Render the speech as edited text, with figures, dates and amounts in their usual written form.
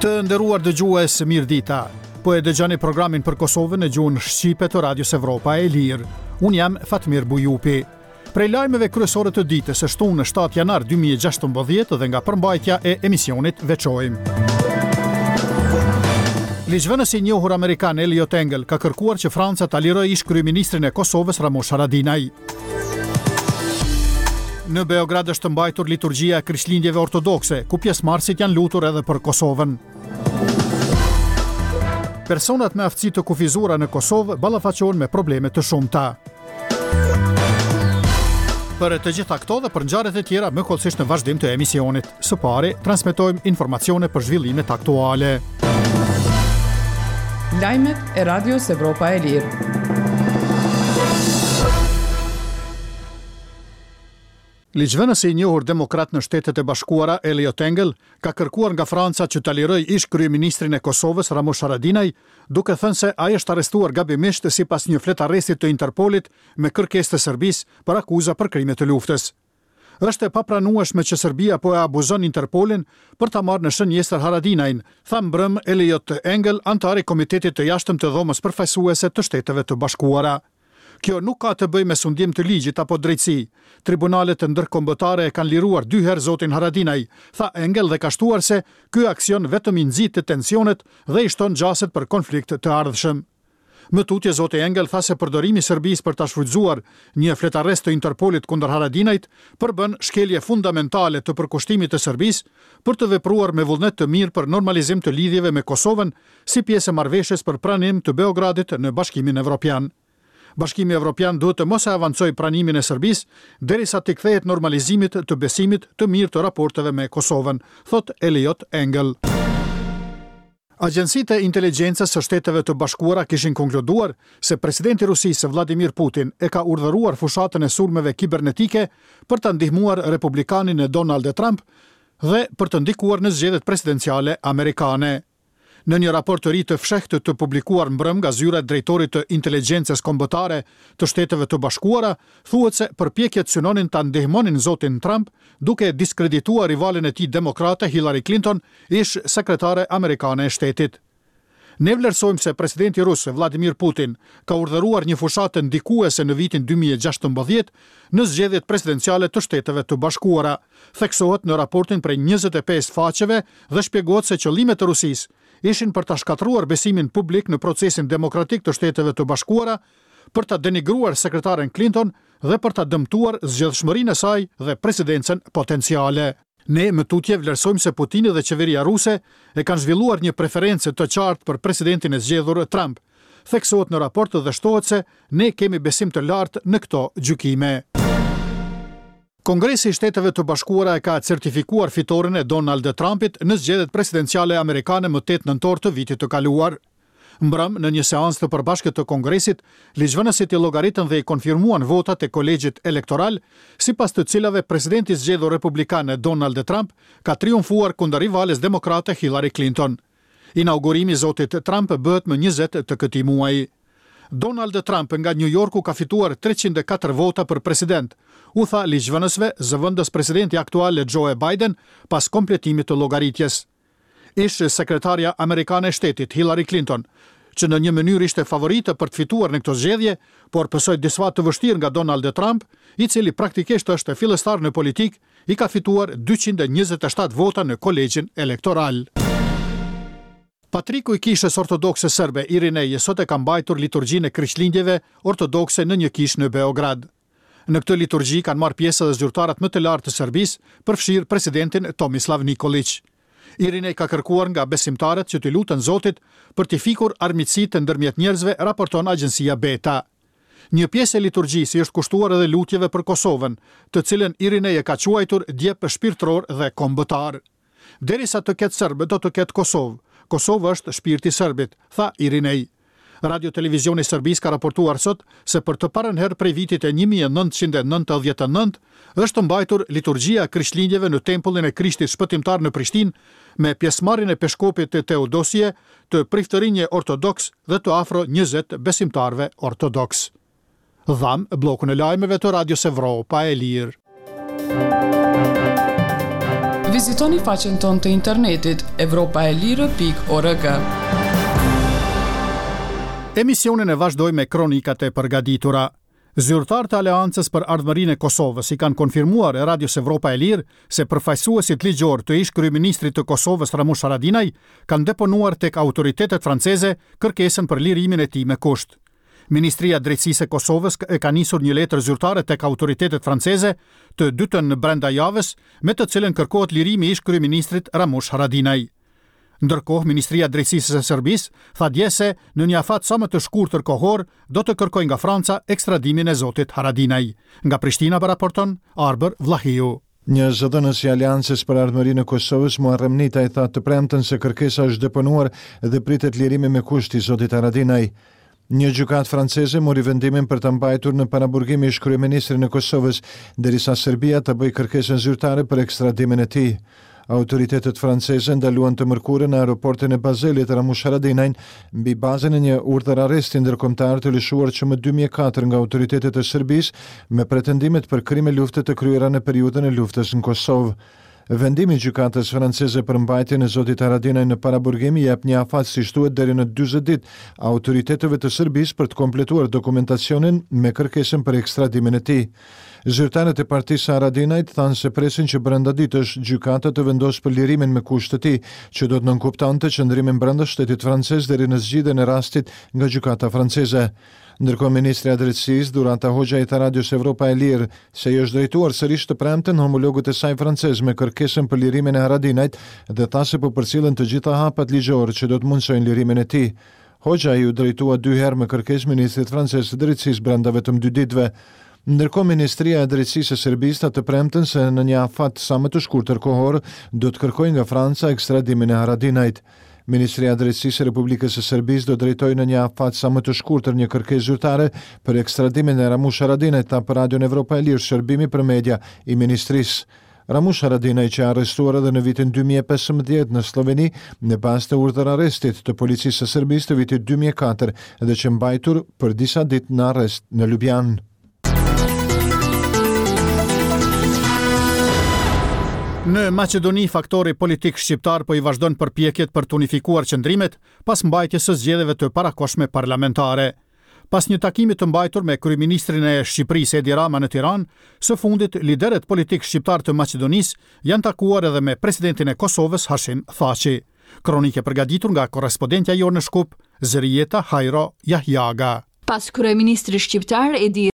Të nderuar dëgjues, mirëdita. Po e dëgjoni programin për Kosovën në gjuhën shqipe të Radios Evropa e Lirë. Unë jam Fatmir Bujupi. Prej lajmeve kryesore të ditës së shtunë 7 janar 2016 dhe nga përmbajtja e emisionit veçojmë. Ligjvënësi i njohur amerikan Eliot Engel ka kërkuar që Franca ta lirojë ish-kryeministrin e Kosovës Ramush Haradinaj. Në Beograd është mbajtur liturgjia e Krishtlindjeve ortodokse, ku pjesëmarrësit janë lutur edhe për Kosovën. Personat me aftësi të kufizuara në Kosovë ballafaqohen me probleme të shumta. Për të gjitha këto dhe për ngjarjet e tjera më hollësisht në vazhdim të emisionit. Së pari, transmetojmë informacione për zhvillimet aktuale. Lajmet e Radios Evropa e Lirë. Ligjvënësi i njohur demokrat në Shtetet e Bashkuara, Eliot Engel, ka kërkuar nga Franca që ta lirojë ish-kryeministrin e Kosovës, Ramush Haradinaj, duke thënë se ai është arrestuar gabimisht sipas një fletarresti të Interpolit me kërkesë të Serbisë për akuza për krime të luftës. Është e papranueshme që Serbia po e abuzon Interpolin për ta marrë në shënjestër Haradinajn, tha mbrëmë Eliot Engel, anëtar i Komitetit të Jashtëm të Dhomës Përfaqësuese të Shteteve të Bashkuara. Kjo nuk ka të bëjë me sundim të ligjit apo drejtësi. Tribunalet ndërkombëtare e kanë liruar dy herë zotin Haradinaj, tha Engel dhe ka shtuar se ky aksion vetëm i nxit tensionet dhe i shton gjasat për konflikt të ardhshëm. Më tutje zoti Engel tha se përdorimi i Serbisë për ta shfrytëzuar një fletarrest të Interpolit kundër Haradinajt përbën shkelje fundamentale të përkushtimit të Serbisë për të vepruar me vullnet të mirë për normalizim të lidhjeve me Kosovën si pjesë e marrëveshjes për pranim të Beogradit në Bashkimin Evropian. Bashkimi Evropian duhet të mos e avancojë pranimin e Serbisë derisa t'i kthehet normalizimit të besimit të mirë të raporteve me Kosovën, thotë Eliot Engel. Agjencitë e inteligjencës së Shteteve të Bashkuara kishin konkluduar se presidenti i Rusisë, Vladimir Putin, e ka urdhëruar fushatën e sulmeve kibernetike për ta ndihmuar republikanin Donald Trump dhe për të ndikuar në zgjedhjet presidenciale amerikane. Në një raport të ri të fshehtë të publikuar mbrëmë nga zyra e drejtorit të Inteligjencës Kombëtare të Shteteve të Bashkuara, thuhet se përpjekjet synonin ta ndihmonin zotin Trump duke diskredituar rivalen e tij demokrate Hillary Clinton, ish-sekretare amerikane e shtetit. Ne vlerësojmë se presidenti rus, Vladimir Putin, ka urdhëruar një fushatë ndikuese në vitin 2016 në zgjedhjet presidenciale të Shteteve të Bashkuara, theksohet në raportin prej 25 faqeve dhe shpjegohet se qëllimet e Rusisë ishin për ta shkatërruar besimin publik në procesin demokratik të Shteteve të Bashkuara, për ta denigruar sekretaren Clinton dhe për ta dëmtuar zgjedhshmërinë e saj dhe presidencën potenciale. Ne më tutje vlerësojmë se Putini dhe qeveria ruse e kanë zhvilluar një preferencë të qartë për presidentin e zgjedhur Trump, theksohet në raport dhe shtohet se ne kemi besim të lartë në këto gjykime. Kongresi i Shteteve të Bashkuara e ka certifikuar fitoren e Donald Trumpit në zgjedhjet presidenciale amerikane më 8 nëntor të vitit të kaluar. Mbrëmë, në një seancë të përbashkët të Kongresit, ligjvënësit i llogaritën dhe i konfirmuan votat e Kolegjit Elektoral, sipas të cilave presidenti i zgjedhur republikan Donald Trump ka triumfuar kundër rivales demokrate Hillary Clinton. Inaugurimi i zotit Trump bëhet më 20 të këtij muaji. Donald Trump nga New Yorku ka fituar 304 vota për president, u tha ligjvënësve zëvendës presidenti aktual Joe Biden pas kompletimit të llogaritjes. Ish-sekretarja amerikane e shtetit, Hillary Clinton, që në një mënyrë ishte favorite për të fituar në këto zgjedhje, por pësoi disfatë të vështirë nga Donald Trump, i cili praktikisht është fillestar në politikë, i ka fituar 227 vota në kolegjin elektoral. Patriku i Kishës Ortodokse Serbe, Irinej, sot e ka mbajtur liturgjinë e Krishtlindjeve ortodokse në një kishë në Beograd. Në këtë liturgji kanë marrë pjesë edhe zyrtarët më të lartë të Serbisë, përfshirë presidentin Tomislav Nikoliq. Irinej ka kërkuar nga besimtarët që t'i luten Zotit për t'i fikur armiqësitë ndërmjet njerëzve, raporton agjencia Beta. Një pjesë e liturgjisë i është kushtuar edhe lutjeve për Kosovën, të cilën Irinej e ka quajtur djep shpirtëror dhe kombëtar. Derisa të ketë serbë, do të ketë Kosovë. Kosova është shpirti i serbit, tha Irinej. Radio Televizioni i Serbisë ka raportuar sot se për të parën herë prej vitit 1999 është mbajtur liturgjia e Krishtlindjeve në tempullin e Krishtit Shpëtimtar në Prishtinë me pjesëmarrjen e peshkopit Teodosije, të priftërinjve ortodoks dhe të afro 20 besimtarëve ortodoks. Dhamë bllokun e lajmeve të Radios Evropa e Lirë. Vizitoni faqen tonë të internetit evropaelire.org. Emisionin e vazhdojmë me kronikat e përgatitura. Zyrtarë të Aleancës për Ardhmërinë e Kosovës i kanë konfirmuar Radios Evropa e Lirë se përfaqësuesit ligjorë të ish-kryeministrit të Kosovës Ramush Haradinaj kanë deponuar tek autoritetet franceze kërkesën për lirimin e tij me kusht. Ministria e Drejtësisë e Kosovës e ka nisur një letër zyrtare tek autoritetet franceze të dytën brenda javës, me të cilën kërkohet lirimi i ish-kryeministrit Ramush Haradinaj. Ndërkohë, Ministria e Drejtësisë e Serbisë tha dje se në një afat sa më të shkurtër kohor do të kërkojë nga Franca ekstradimin e zotit Haradinaj. Nga Prishtina raporton Arbër Vllahiu. Një zëdhënës i Aleancës për Ardhmërinë e Kosovës, Muharrem Nitaj tha të premten se kërkesa është deponuar dhe pritet lirimi me kusht i zotit Haradinaj. Një gjykatë franceze mori vendimin për ta mbajtur në paraburgim ish-kryeministrin e Kosovës, derisa Serbia ta bëjë kërkesën zyrtare për ekstradimin e tij. Autoritetet franceze ndaluan të mërkurën në aeroportin e Bazelit Ramush Haradinajn mbi bazën e një urdhër-arresti ndërkombëtar të lëshuar që më 2004 nga autoritetet e Serbisë me pretendimet për krime lufte të kryera në periudhën e luftës në Kosovë. Vendimi i gjykatës franceze për mbajtjen e zotit Haradinaj në paraburgim i jep një afat siç thuhet deri në 40 ditë autoriteteve të Serbisë për të kompletuar dokumentacionin me kërkesën për ekstradimin e tij. Zyrtarët e partisë së Haradinajt thanë se presin që brenda ditësh gjykata të vendosë për lirimin me kusht të tij, që do të nënkuptonte qëndrimin brenda shtetit francez deri në zgjidhjen e rastit nga gjykata franceze. Ndërkohë ministrja e Drejtësisë, Dhurata Hoxhaj i tha Radios Evropa e Lirë se i është drejtuar sërish të premten homologut të saj francez me kërkesën për lirimin e Haradinajt dhe tha se po përcillen të gjitha hapat ligjorë që do të mundësojnë lirimin e tij. Hoxhaj iu drejtua dy herë me kërkesë ministrit francez të Drejtësisë brenda vetëm dy ditëve. Ndërkohë Ministria e Drejtësisë e Serbisë tha të premten se në një afat sa më të shkurtër kohor do të kërkojë nga Franca ekstradimin e Haradinajt. Ministria e Drejtësisë e Republikës së Serbisë do drejtojë në një afat sa më të shkurtër një kërkesë zyrtare për ekstradimin e Ramush Haradinajt, tha për Radion Evropa e Lirë shërbimi për media i ministrisë. Ramush Haradinaj qe arrestuar edhe në vitin 2015 në Slloveni në bazë të urdhër-arrestit të policisë së Serbisë të vitit 2004 dhe qe mbajtur për disa ditë në arrest në Lubjanë. Në Maqedoni, faktori politik shqiptar po i vazhdon përpjekjet për të unifikuar qëndrimet pas mbajtjes së zgjedhjeve të parakohshme parlamentare. Pas një takimi të mbajtur me kryeministrin e Shqipërisë Edi Rama në Tiranë, së fundit liderët politikë shqiptarë të Maqedonisë janë takuar edhe me presidentin e Kosovës Hashim Thaçi. Kronikë e përgatitur nga korrespondentja jonë në Shkup, Zërijeta Hajro Jahjaga. Pas kryeministrit shqiptar Edi.